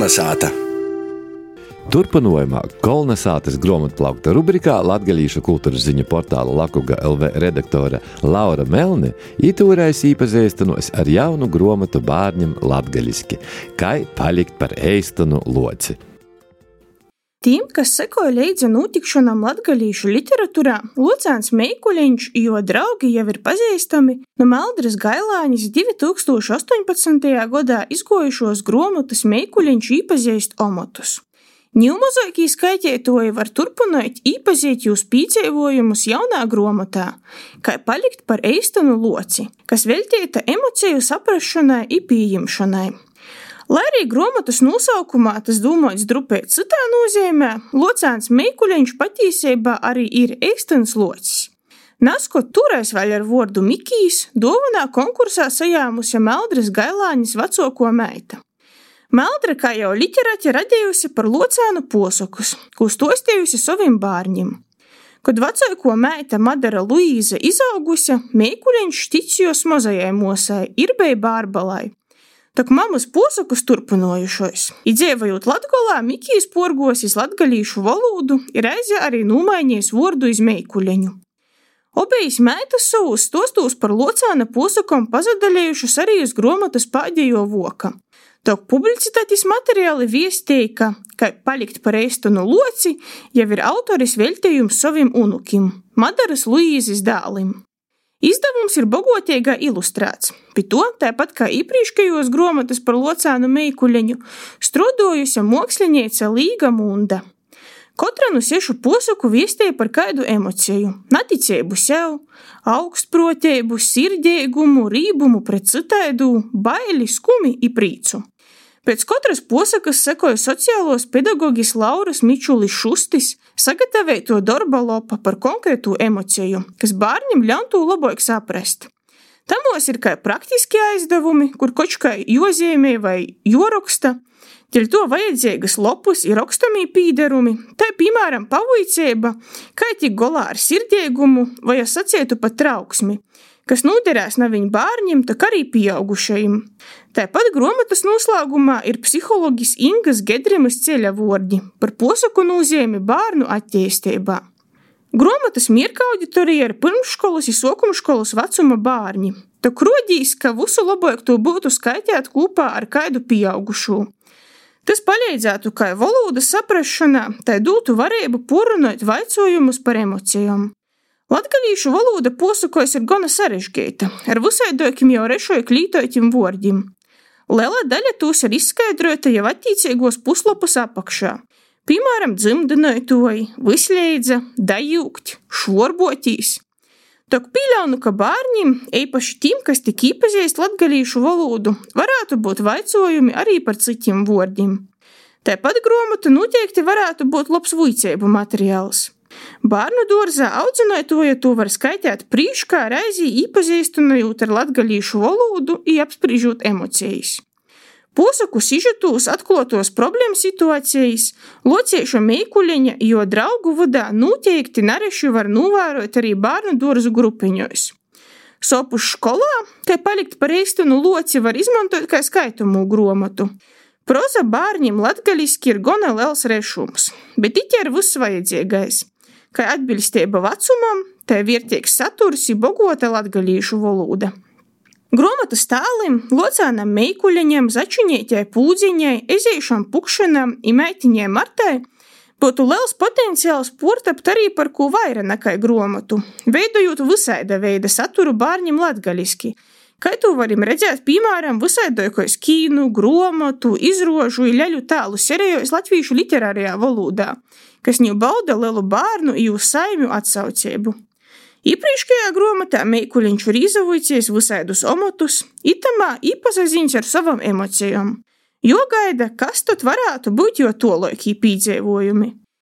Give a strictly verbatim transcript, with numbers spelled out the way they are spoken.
Kolnesāta. Turpinājumā Kolnesātas grāmatplaukta rubrikā latgalīšu kultūras ziņu portāla Lakuga L V redaktore Laura Melne itūrais īpazīstinos ar jaunu grāmatu bārņam latgaliski Kai palikt par eistonu loci. Tiem, kas sekoja līdzi notikšanām latgalīšu literatūrā, Lucāns Meikuļiņš i jo draugi jau ir pazīstami no Meldres Gailānis divi tūkstoši astoņpadsmitajā gadā izgojušos grāmatas Meikuļiņš īpazīst omotus. Ņūmozaikī skaitītoji var turpināt īpazīt jūs pīceivojumus jaunā grāmatā, Kai palikt par eistonu loci, kas veltīta emociju saprašanai i pieņemšanai. Lai arī grāmatas nosaukumā tas domāts drupēt citā nozīmē, Lucāns Meikuļiņš patīsībā arī ir eistons locis. Naskot turais vēl ar vordu Mikijs, dāvanā konkursā sajāmusi Meldres Gailānis vecoko meita. Meldre, kā jau literati, radījusi par Lucānu posakus, ko stostējusi saviem bārņiem. Kad vecāko meita Madara Luīze izaugusi, Meikuļiņš ticījos mozajai mosai, Irbei Bārbalai. Tak mamas posakus turpinojušos. I dzīvojot Latgolā, Mikijs porgosis latgalīšu valodu i reizi arī nūmainies vordu iz Meikuļeņu. Obejis meitas savus stostūs par Lucāna posakom pazadalējušas arī uz grāmatas pēdējo voka. Tok publicitātis materiāli viestīja, ka Kai palikt par eistonu loci jau ir autoris veltījums saviem unukim, Madaras Luīzes dēlim. Izdevums ir bagoteiga ilustrēts, pie to, tāpat kā iepriekšējos grāmatas par Lucānu Meikuļeņu, strodojusi māksliniece Līga Munda. Katra no sešu posaku viestīja par kādu emociju – naticību sev, augstproteibu, sirdiegumu, rībumu pret citaidu, baili, skumi i prīcu. Pēc katras posakas sekoja sociālos pedagogis Lauras Mičulis Šustis sagatavoto darba lopa par konkrētu emociju, kas bārņam ļautu labāk saprast. Tamos ir kā praktiski aizdevumi, kur koč kā jozīmē vai joroksta, ķel to vajadzīgas lopus ir rakstamī pīderumi, tā piemēram pavuicība, kā tik golā ar sirdiegumu vai sacietu pat trauksmi, kas noderēs ne viņu bārņiem, tak arī pieaugušajiem. Tāpat grāmatas noslēgumā ir psihologis Ingas Gedrimas ceļa vordi par posaku nozīmi bārnu attīstībā. Grāmatas mierka auditorija ir pirmškolas i sokumškolas vecuma bārņi, tak rodīs, ka visu labāk to būtu skaitīt kopā ar kādu pieaugušo. Tas palīdzētu kā valodas saprašanā, tai dotu varību porunāt vaicojumus par emocijām. Latgalīšu valoda posakos ir gana sarežģīta, ar visaidokim jau rešoju klītoitim vordim. Liela daļa tūs ir izskaidrota jau attīcīgos puslapus apakšā. Piemēram, dzimdinoitoji, visleidza, dajūkt, švorbotīs. Tok pīļaunu, ka bārņim, eipaši tim, kas tik īpazīst latgalīšu valodu, varētu būt vaicojumi arī par citiem vordim. Tāpat grāmata noteikti varētu būt labs vuiceibu materiāls. Bārnu dārzā audzinātoja to var skaitīt prīškā reizi īpazīstinojot ar latgalīšu valodu i apspriežot emocijas. Posaku sižetūs atklotos problēmu situācijas Locieša Meikuļeņa i jo draugu vadā noteikti nareši var novērot arī bārnu dārzu grupiņos. Sopus školā, Kai palikt par eistonu loci var izmantot kā skaitumu grāmatu. Proza bārņiem latgaliski ir gana liels rešums, bet it ir viss vajadzīgais. Kā atbilstība vecumam, tā vērtīgs saturs i bogota latgalīšu valoda. Grāmatas tālim Lucānam Meikuļeņam, začinītei Pūdziņai, ezēšam Pukšanam i meitiņai Martai būtu liels potenciāls portapt arī par ko vaira nekā grāmatu, veidojot visaida veida saturu bārņiem latgaliski. Kā to varim redzēt, piemēram, visaidojos kīnu, grāmatu, izrožu i ļaļu tālu serejos latvīšu literārajā valodā, kas ņu bauda lielu bārnu i uz saimju atsaucību. Iepriekšējā grāmatā Meikuļiņš ir izavocies visaidus omotus, itamā īpasaziņš ar savam emocijām. Jo gaida, kas tad varētu būt jo tolaikī pīdzēvojumi.